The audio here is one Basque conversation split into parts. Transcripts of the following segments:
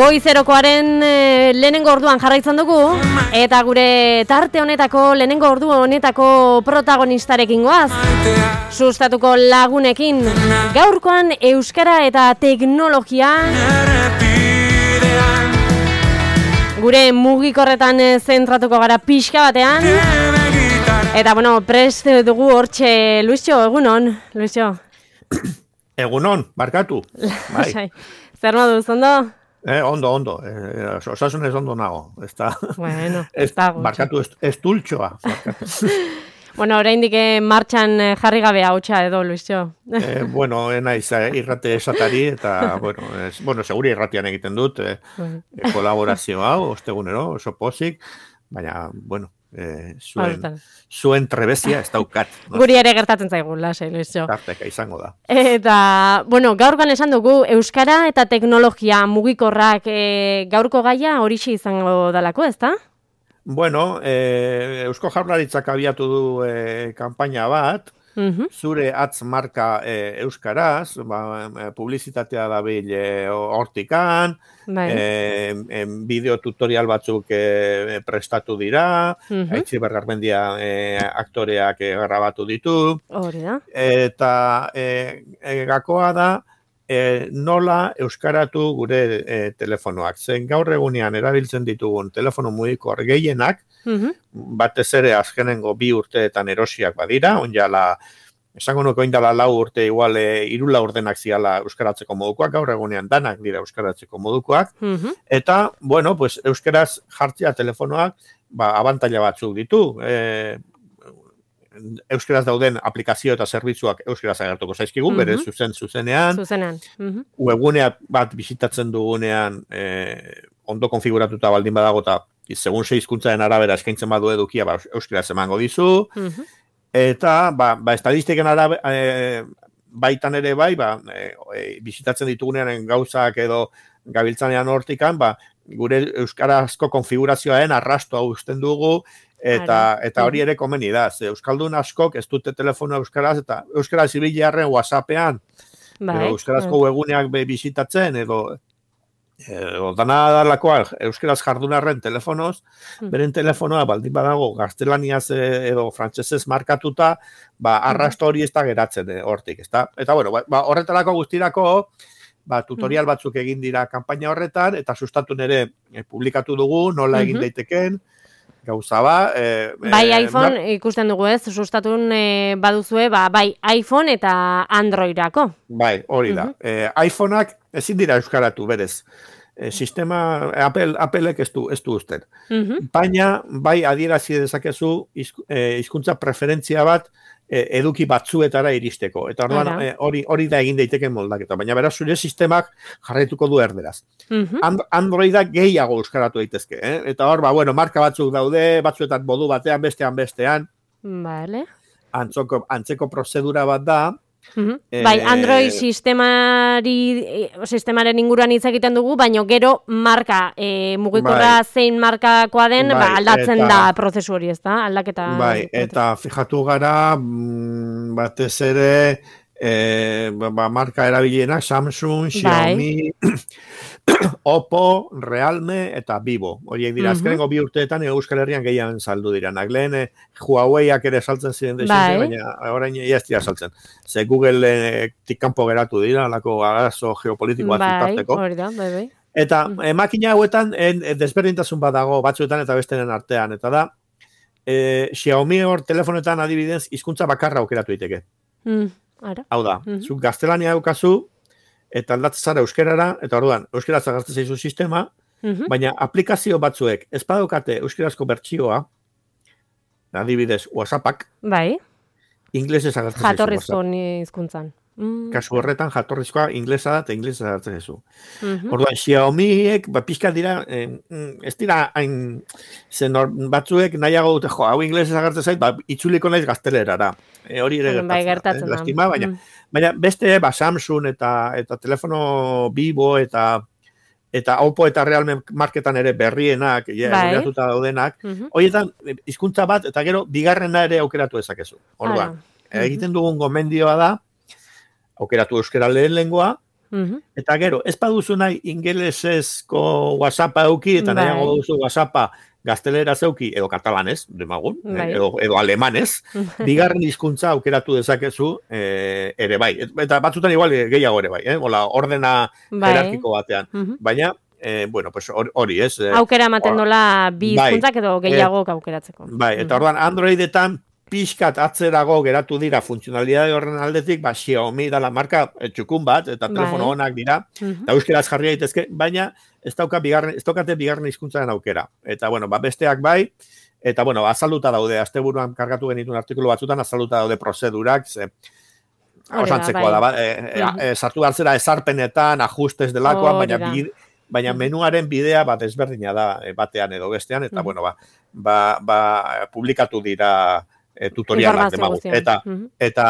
Goizerokoaren lehenengo orduan jarraitzen dugu, eta gure tarte honetako, lehenengo ordu honetako protagonistarekin goaz, sustatuko lagunekin, gaurkoan euskara eta teknologia, gure mugikorretan zentratuko gara pixka batean, eta bueno, prest dugu hortxe, Luisio, egunon, Luisio. Egunon, barkatu. Bai. Zer moduz, ondo? Ondo. Osasunez ondo nago. Bueno, barkatu, ez dultxoa. Bueno, oraindik martxan jarri gabe hautsa edo, Luisio. Bueno, naiz irrate esatari, eta, seguri irratian egiten dut, kolaborazio hau, ostegunero, oso pozik, baina, zuen trebezia ez daukat. Guri ere gertatzen zaigu, lasai, Luisio. Tarteka izango da. Eta, gaurkoan esan dugu, euskara eta teknologia mugikorrak gaurko gaia horixe izango dalako, ezta? Eusko Jaurlaritzak abiatu du kanpaina bat, zure atz marka euskaraz, publizitatea dabil hortikan, bideo tutorial batzuk prestatu dira, Aitziber Garmendia aktoreak grabatu ditu, eta gakoa da nola euskaratu gure telefonoak. Zen gaur egunean erabiltzen ditugun telefono mugikor gehienak, batez ere azkenengo 2 urteetan erosiak badira, esango nuke oindala 4 urte igual 3 laurdenak ziala euskaratzeko modukoak, gaur egunean danak dira euskaratzeko modukoak, eta, euskaraz jartzea telefonoak, abantaila batzuk ditu, euskaraz dauden aplikazio eta zerbitzuak euskaraz agertuko zaizkigu, bere zuzenean, webgunea bat bisitatzen dugunean ondo konfiguratuta baldin badago eta segun hizkuntzaren arabera eskaintzen badu edukia euskaraz emango dizu, eta estadistiken baitan ere bisitatzen ditugunean gauzak edo gabiltzanean hortikan, gure euskarazko konfigurazioaren arrastoa uzten dugu, eta hori ere komeni da. Euskaldun askok ez dute telefono euskaraz, eta euskaraz ibilearen WhatsAppean, euskarazko webuneak bisitatzen, edo dana dalakoa euskaraz jardunarren telefonoz, beren telefonoa baldin badago gaztelaniaz edo frantsesez markatuta, arrasto hori ez da geratzen hortik, ezta? Eta horretarako guztirako, tutorial batzuk egin dira kanpaina horretan, eta sustatu nere publikatu dugu, nola egin daiteken, gauza bai iPhone ikusten dugu ez, sustatun baduzue, bai iPhone eta Androidako. Bai, hori da. iPhoneak ezin dira euskaratu berez. Sistema Applek ez du usten. Baina, bai adierazi dezakezu hizkuntza preferentzia bat eduki batzuetara iristeko. Eta hori da egin daiteken moldaketa. Baina beraz, zure sistemak jarraituko du erderaz. Androidak gehiago euskaratu daitezke. Eta hor, marka batzuk daude, batzuetan modu batean, bestean. Vale. Antzeko prozedura bat da. Bai, Android sistemaren inguruan hitz egiten dugu, baina gero marka mugikorra zein markakoa den aldatzen da prozesu hori, ez da? Aldaketa. Bai, eta fijatu gara batez ere marka erabilienak Samsung, Xiaomi, Oppo, Realme eta Vivo. Horiek dira, azkenengo 2 urteetan Euskal Herrian gehiago saldu diranak. Lehen Huaweiak ere saltzen ziren desente, baina orain ez dira saltzen. Ze Google kanpo geratu dira, alako arazo geopolitiko bat zitarteko. Bai. Eta makina hauetan desberdintasun bat dago batzuetan eta bestenen artean. Eta da, Xiaomi hor telefonetan adibidez hizkuntza bakarra aukeratu daiteke. Hau da, zu gaztelania daukazu, eta aldatzen zara euskerara, eta orduan, euskaraz agertzen zaizu sistema, baina aplikazio batzuek ez badaukate euskarazko bertsioa, adibidez WhatsAppak, inglesez agertzen zaizu. Jatorrizko hizkuntzan. Kasu horretan jatorrizkoa inglesa da eta inglesez agertzen zaizu. Orduan, Xiaomiek, pixka dira, ez dira hain batzuek nahiago dute, hau inglesez agertzen zait, itzuliko naiz gaztelerara. Hori ere gertatzen da. Lastima, baina beste, Samsung eta telefono Vivo eta Oppo eta Realme marketan ere berrienak, geratuta daudenak, horietan hizkuntza bat eta gero bigarrena ere aukeratu ezakezu. Orduan, egiten dugun gomendioa da, aukeratu euskara lehen lengua, Eta gero, ez baduzu nahi ingelesezko WhatsAppa euki, eta nahiago duzu WhatsAppa gaztelera zeuki, edo katalanez, demagun, edo alemanez, bigarren hizkuntza aukeratu dezakezu ere bai. Eta batzutan igual gehiago ere bai, ordena jerarkiko batean. Baina, bueno, pues hori, ez? Aukera ematen dola bi hizkuntzak edo gehiago aukeratzeko. Bai, eta orduan Androidetan pixkat atzerago geratu dira funtzionalidade horren aldetik, Xiaomi dala marka txukun bat, eta telefono honak dira, eta euskeraz jarri daitezke, baina ez daukate bigarren hizkuntzaren aukera. Eta, bueno, besteak bai, eta, bueno, azalduta daude, asteburuan kargatu genituen artikulu batzutan, azalduta daude prozedurak, osantzekoa da, sartu hartzera ezarpenetan, ajustes delakoan, baina menuaren bidea bat ezberdina da batean edo bestean, eta, bueno, publikatu dira tutorialak demagu. Eta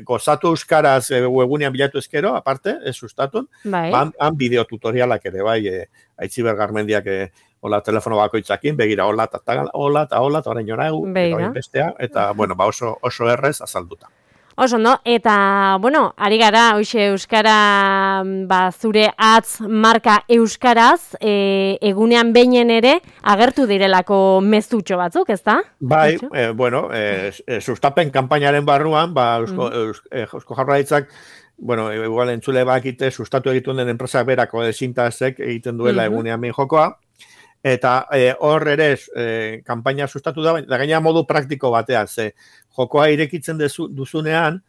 gozatu euskaraz webunean bilatu ezkero, aparte, ez sustatun, han bideo tutorialak ere, bai, Aitziber Garmendiak hola telefono bakoitzakin, begira hola, eta orain orain bestea, eta, bueno, oso errez azalduta. Oso, no? Eta, bueno, ari gara, hoxe euskara, zure atz marka euskaraz, egunean beinen ere, agertu direlako mezutxo batzuk, ezta? Bai, bueno, sustapen kanpainaren barruan, Eusko Jaurlaritzak, bueno, igual entzule bakite, sustatu egiten den enpresak berako Sintazek egiten duela egunean behin jokoa, eta hor ere kanpaina sustatu da gaina modu praktiko batean, ze jokoa irekitzen duzunean,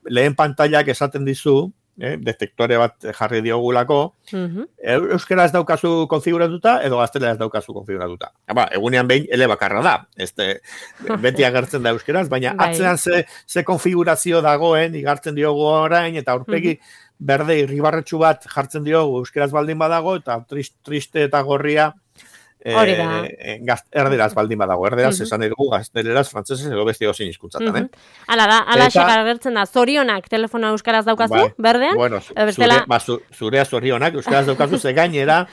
lehen pantailak esaten dizu, detektore bat jarri diogulako, euskaraz daukazu konfiguratuta, edo gazteleraz daukazu konfiguratuta. Egunean behin elebakarra da, beti agertzen da euskaraz, baina atzean ze konfigurazio dagoen, igartzen diogu orain, eta aurpegi berde irribarretxu bat jartzen diogu euskaraz baldin badago, eta triste eta gorria erderaz baldin badago. Erderaz esan edugu gazteleraz, frantzesez edo beste gozin hizkuntzatan. Hala da, agertzen da, zorionak telefona euskaraz daukazu, berdean? Bueno, zurea zorionak euskaraz daukazu, ze gainera,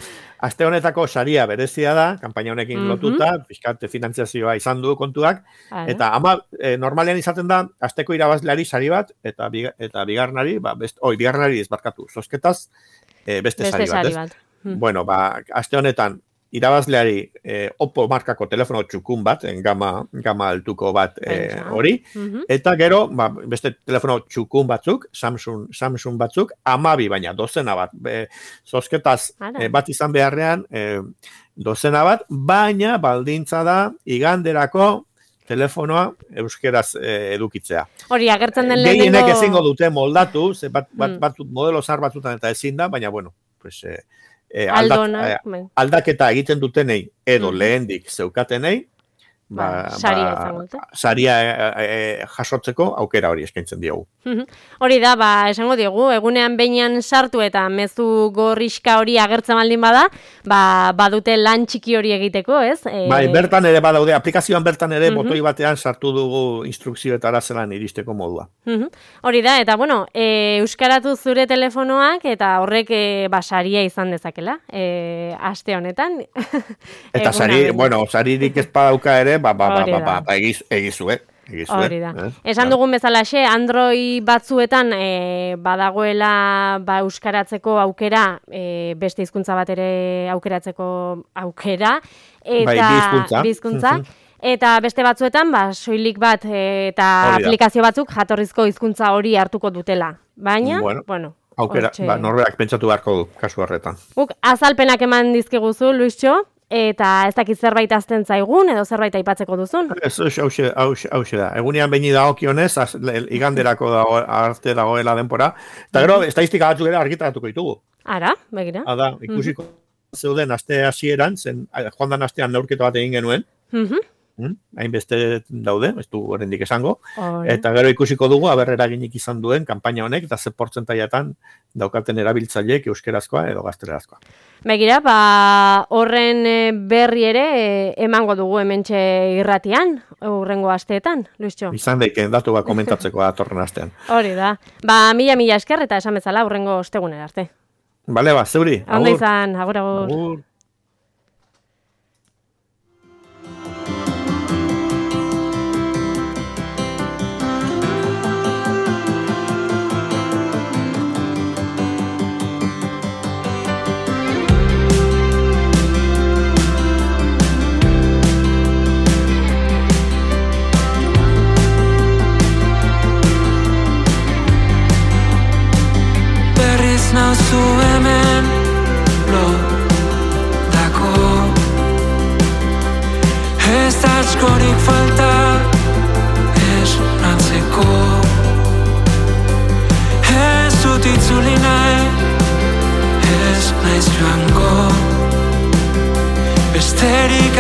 aste honetako saria berezia da, kanpaina honekin lotuta, pixkate finantziazioa izan du kontuak, eta normalean izaten da, asteko irabazleari sari bat, eta bigarnari, bigarnari ezbarkatu, zozketaz, beste sari bat. Bueno, aste honetan, irabazleari Oppo markako telefono txukun bat, gama altuko bat hori, eta gero, beste telefono txukun batzuk, Samsung batzuk, 12 baina, dozena bat, zozketaz bat izan beharrean, dozena bat, baina baldintza da iganderako telefonoa euskeraz edukitzea. Hori, agertzen den lehenengo... Gehienek ezingo dute moldatu, modelo zar batzutan eta ezin da, baina, bueno, pues... aldaketa egiten dutenei edo lehendik zeukatenei saria jasotzeko aukera hori eskaintzen diogu. Hori da, esango diogu, egunean behinean sartu eta mezu gorriska hori agertzen baldin bada, badute lan txiki hori egiteko, ez? Bai, bertan ere badaude, aplikazioan bertan ere botoi batean sartu dugu instrukzioetara zelan iristeko modua. Hori da, eta bueno, euskaratu zure telefonoak eta horrek saria izan dezakela, aste honetan. Eta saririk ez padauka ere, egizu, Hori da. Esan dugun bezalaxe, Android batzuetan badagoela euskaratzeko aukera, beste hizkuntza bat ere aukeratzeko aukera, eta bizkuntza. Eta beste batzuetan, soilik bat eta aplikazio batzuk jatorrizko hizkuntza hori hartuko dutela. Baina, bueno, aukera, norberak pentsatu beharko du, kasu horretan. Azalpenak eman dizkiguzu, Luisxo, eta ez dakit zerbait azten zaigun, edo zerbait aipatzeko duzun? Hauxe da. Egunean behin dagokionez, iganderako arte dagoela denpora. Eta gero, estadistika batzuk ere argitaratuko ditugu. Ara, begira. Ada, ikusiko zeuden aste hasieran, joan dan astean neurketa bat egin genuen. Hainbeste daude, ez du oraindik esango. Eta gero ikusiko dugu, eraginik izan duen kanpaina honek, eta ze portzentaiatan daukaten erabiltzaileek euskerazkoa edo gaztelerazkoa. Begira, horren berri ere emango dugu hementxe irratian, hurrengo asteetan, Luisxo. Izan daiken datu bat komentatzeko datorren astean. Hori da. Mila esker eta esan bezala hurrengo ostegunera arte. Bale, zeuri. Ondo izan, agur. ez nauzu hemen lotako. Ez da askorik falta esnatzeko. Ez dut itzuli nahi, ez naiz joango. Besterik